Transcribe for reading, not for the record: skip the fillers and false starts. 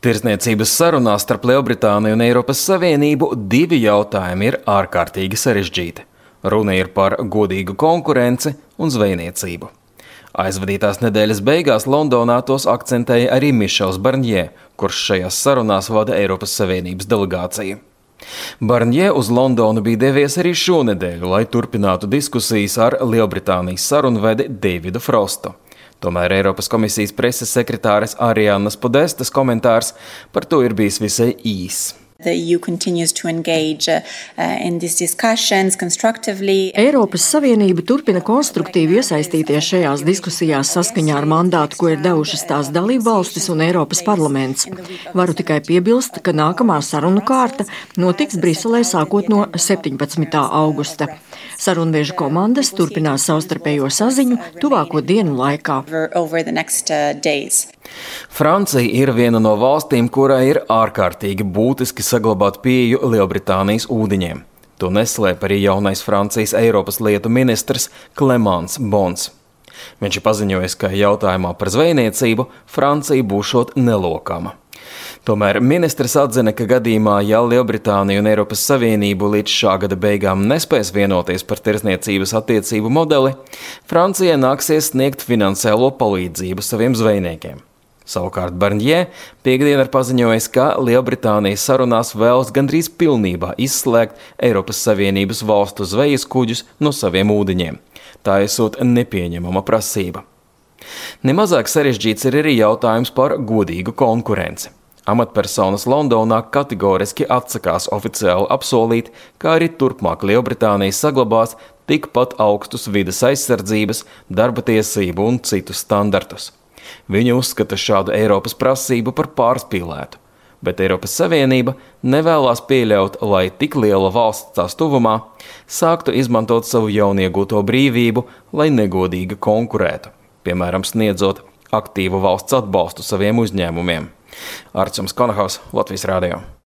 Tirdzniecības sarunās starp Lielbritāniju un Eiropas Savienību divi jautājumi ir ārkārtīgi sarežģīti. Runa ir par godīgu konkurenci un zvejniecību. Aizvadītās nedēļas beigās Londonā tos akcentēja arī Mišels Barņē, kurš šajās sarunās vada Eiropas Savienības delegāciju. Barņē uz Londonu bija devies arī šonedēļ, lai turpinātu diskusijas ar Lielbritānijas sarunvedi Davidu Frostu. Tomēr Eiropas komisijas preses sekretāres Ariannas Podestas komentārs par to ir bijis visai īss. Eiropas Savienība turpina konstruktīvi iesaistīties šajās diskusijās saskaņā ar mandātu, ko ir devušas tās dalībvalstis un Eiropas parlaments. Varu tikai piebilst, ka nākamā sarunu kārta notiks Briselē sākot no 17. augusta. Sarunvežu komandas turpinās savstarpējo saziņu tuvāko dienu laikā. Francija ir viena no valstīm, kurai ir ārkārtīgi būtiski saglabāt pieeju Lielbritānijas ūdeņiem. To neslēp arī jaunais Francijas Eiropas lietu ministrs Clément Beaune. Viņš ir paziņojis, ka jautājumā par zvejniecību Francija būšot nelokama. Tomēr ministrs atzina, ka gadījumā, ja Lielbritānija un Eiropas Savienību līdz šā gada beigām nespēs vienoties par tirdzniecības attiecību modeli, Francijai nāksies sniegt finansiālo palīdzību saviem zvejniekiem. Savukārt Barņē piekdien ir paziņojis, ka Lielbritānija sarunās vēlas gandrīz pilnībā izslēgt Eiropas Savienības valstu zvejas kuģus no saviem ūdeņiem. Tā esot nepieņemama prasība. Nemazāk sarežģīts ir arī jautājums par godīgu konkurenci. Amatpersonas Londonā kategoriski atsakās oficiāli apsolīt, ka arī turpmāk Lielbritānija saglabās tikpat augstus vides aizsardzības, darba tiesību un citus standartus. Viņi uzskata šādu Eiropas prasību par pārspīlētu, bet Eiropas Savienība nevēlās pieļaut, lai tik liela valsts tās tuvumā sāktu izmantot savu jauniegūto brīvību, lai negodīgi konkurētu, piemēram, sniedzot aktīvu valsts atbalstu saviem uzņēmumiem. Arčuns Konahaus, Latvijas Radio.